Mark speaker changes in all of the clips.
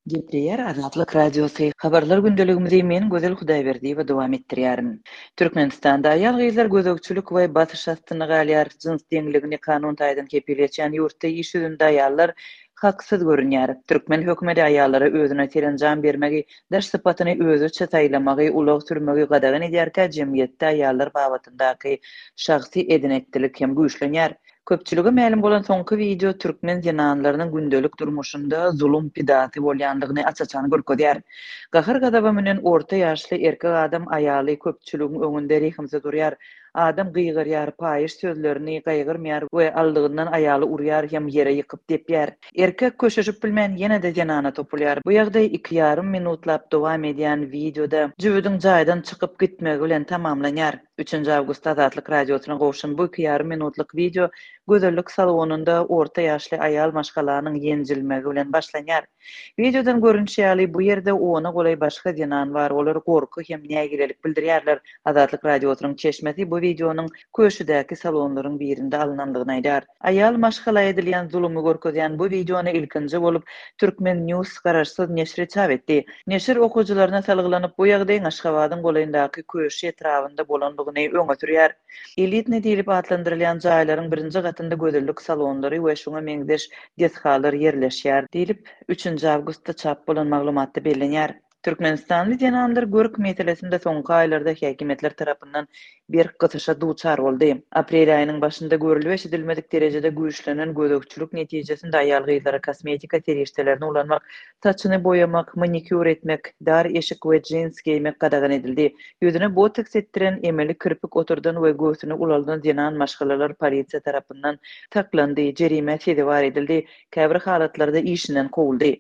Speaker 1: Gepleýär Azatlyk Radiosy, Habarlar gündeligimizi men Gözel Hudaýberdiýewa dowam etdirýärin. Türkmenistanda aýal-gyzlar gözegçilik we basyş astynda galýar. Jyns deňligini kanun taýdan kepil geçýän ýurtda iş ýüzünde aýallar haksyz görünýär. Türkmen hökümeti aýallara özüne serenjam bermegi, daş sypatyny özüçe saýlamagy, ulag sürmegi gadagan edýärkä jemgyýetde aýallar babatyndaky şahsy eden-etdilik hem güýçlenýär. Köpçülige mälim bolan soňky wideo türkmen zenanlarynyň gündelik durmuşynda zulum pidasy bolýandygyny aç-açan görkezýär. Gahar-gazaba münen orta ýaşly erkek adam aýaly köpçüligiň öňünde rehimsiz urýar. Adam gygyrýar, paýyş sözlerini gaýgyrmaýar we aldygyndan aýaly urýar hem ýere ýykyp depýär. Erkek köşeşip bilmän ýene-de zenana topulýar. Bu ýagdaý iki ýarym minutlap dowam edýän wideoda jübüdiň jaýdan çykyp gitmegi bilen tamamlanýar. Üçünji awgustda Azatlyk Radiosyna gowşan bu iki ýarym minutlyk wideo gözellik salonynda orta ýaşly aýal maşgalanyň ýenjilmegi bilen başlanýar. Wideodan görnüşi ýaly, bu ýerde ona golaý başga zenan bar, olar gorky hem nägilelik bildirýärler. Azatlyk Radiosynyň çeşmesi bu wideonyň Köşüdäki salonlaryň birinde alnandygyny aýdýar. Aýal maşgala edilýän zulumy görkezýän bu wideony ilkinji bolup Turkmen. News garaşsyz neşri çap etdi. Neşir okyjylaryna salgylanyp, bu ýagdaýyň Aşgabadyň golaýyndaky Köşi etrabynda bolandygyny öňe sürýär. Elitnyý diýlip atlandyrylýan jaýlaryň birinji gatynda gözellik salonlary we şuňa meňzeş desgalar ýerleşýär diýlip, üçünji awgustda çap bolan maglumatda bellenýär. Türkmenistanly zenanlar görk meselesinde soňky aýlarda häkimiýetler tarapyndan berk gysyşa duçar boldy. Aprel aýynyň başynda görlüp-eşidilmedik derejede güýçlenen gözegçilik netijesinde aýal-gyzlara kosmetika serişdelerini ulanmak, saçyny boýamak, manikýur etmek, dar eşik we jins geýmek gadagan edildi. Ýüzüne botoks etdiren, emeli kirpik oturdan we göwsüni ulaldan zenan maşgalalar polisiýa tarapyndan saklandy, jerimä sezewar edildi, käbir halatlarda işinden kowuldy.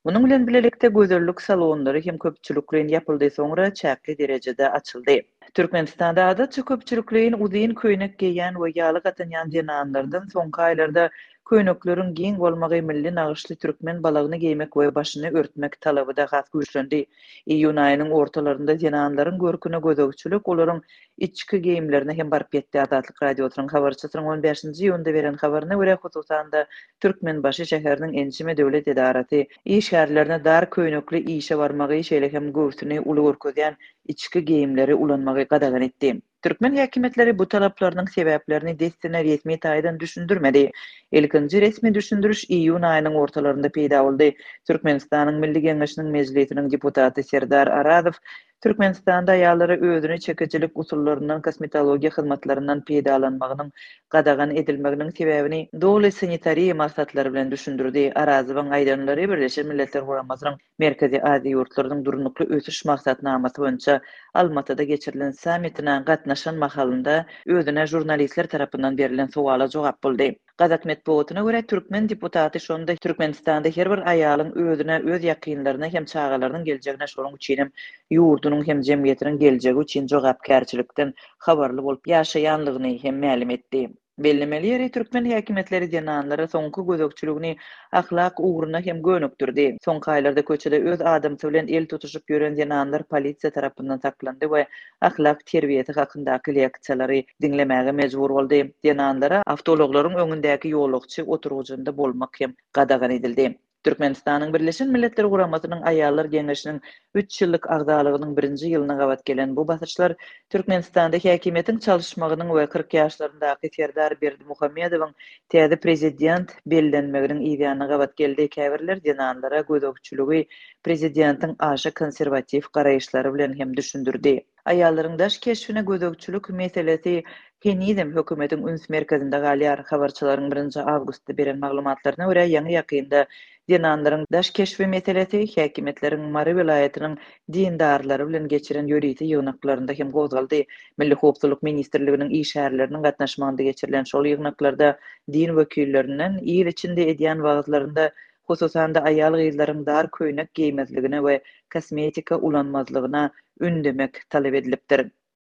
Speaker 1: Munuň bilen bilelikde gözellik salonlary hem köpçülikleýin ýapyldy, soňra çäkli derejede açyldy. Türkmenistanda adatça köpçülikleýin uzyn köýnek geýýän we ýalyk atynýan zenanlardan soňky aýlarda köýnekleriň giň bolmagy, milli nagyşly türkmen balagyny geýmek we başyny örtmek talaby-da has güýçlendi. Iýun aýynyň ortalarynda zenanlaryň görküne gözegçilik olaryň içki geýimlerine hem baryp ýetdi. Azatlyk Radiosynyň habarçysynyň on bäşinji iýunda beren habaryna görä, hususan-da, Türkmenbaşy şäheriniň ençeme döwlet edarasy işgärlerine dar köýnekli işe barmagy, şeýle hem göwsüni uly görkezýän içki geýimleri ulanmagy gadagan etdi. Türkmen häkimiýetleri bu talaplarynyň sebäplerini dessine resmi taýdan düşündirmedi. Ilkinji resmi düşündiriş iýun aýynyň ortalarynda peýda boldy. Türkmenistanyň Milli Geňeşiniň Mejlisiniň deputaty Serdar Arazow Türkmenistanda aýallara özüne çekijilik usullaryndan, kosmetologiýa hyzmatlaryndan peýdalanmagynyň gadagan edilmeginiň sebäbini doly sanitariýa maksatlary bilen düşündirdi. Arazowyň aýdanlary Birleşen Milletler Guramasynyň Merkezi Aziýa ýurtlarynyň Durnukly ösüş maksatnamasy boýunça Almatyda geçirilen sammitine gatnaşan mahalynda özüne žurnalistler tarapyndan berlen sowala jogap boldy. Gazak metbugatyna görä, türkmen deputaty şonda Türkmenistanda her bir aýalyň özüne, öz ýakynlaryna hem çagalarynyň geljegine, şonuň üçinem ýurdunyň hem jemgyýetiniň geljegi üçin jogapkärçilikden habarly bolup ýaşaýanlygyny hem mälim etdi. Bellemeli ýeri, türkmen häkimiýetleri zenanlara soňky gözegçiligini ahlak ugruna hem gönükdirdi. Soňky aýlarda köçede öz adamsy bilen el tutuşyp ýören zenanlar polisiýa tarapyndan saklandy we ahlak terbiýesi hakyndaky leksiýalary diňlemäge mejbur boldy. Zenanlara awtoulaglaryň öňündäki ýolagçy oturgyjynda bolmak hem gadagan edildi. Türkmenistanyň Birleşen Milletler Guramasynyň Aýallar Geňeşiniň üç ýyllyk agzalygynyň birinji ýylyna gabat gelen bu basyşlar Türkmenistanda häkimiýetiň çalyşmagynyň we 40 ýaşlaryndaky Serdar Berdimuhamedowyň täze prezident bellenmeginiň yzýanyna gabat geldi. Käbirler zenanlara gözegçiligi prezidentiň aşa konserwatiw garaýyşlary bilen hem düşündirdi. Aýallaryň daş keşbine gözegçilik meselesi henizem hökümetiň üns merkezinde galýar. Habarçylaryň birinji awgustda beren maglumatlaryna görä, ýaňy-ýakynda zenanlaryň daş keşbi meselesi häkimiýetleriň Mary welaýatynyň dindarlary bilen geçiren ýörite ýygnaklarynda hem gozgaldy. Milli howpsuzlyk ministrliginiň işgärleriniň gatnaşmagynda geçirilen şol ýygnaklarda din wekillerinden il içinde edýän wagyzlarynda hususan-da aýal-gyzlaryň dar köýnek geýmezligine we kosmetika ulanmazlygyna ündemek talap edilipdir.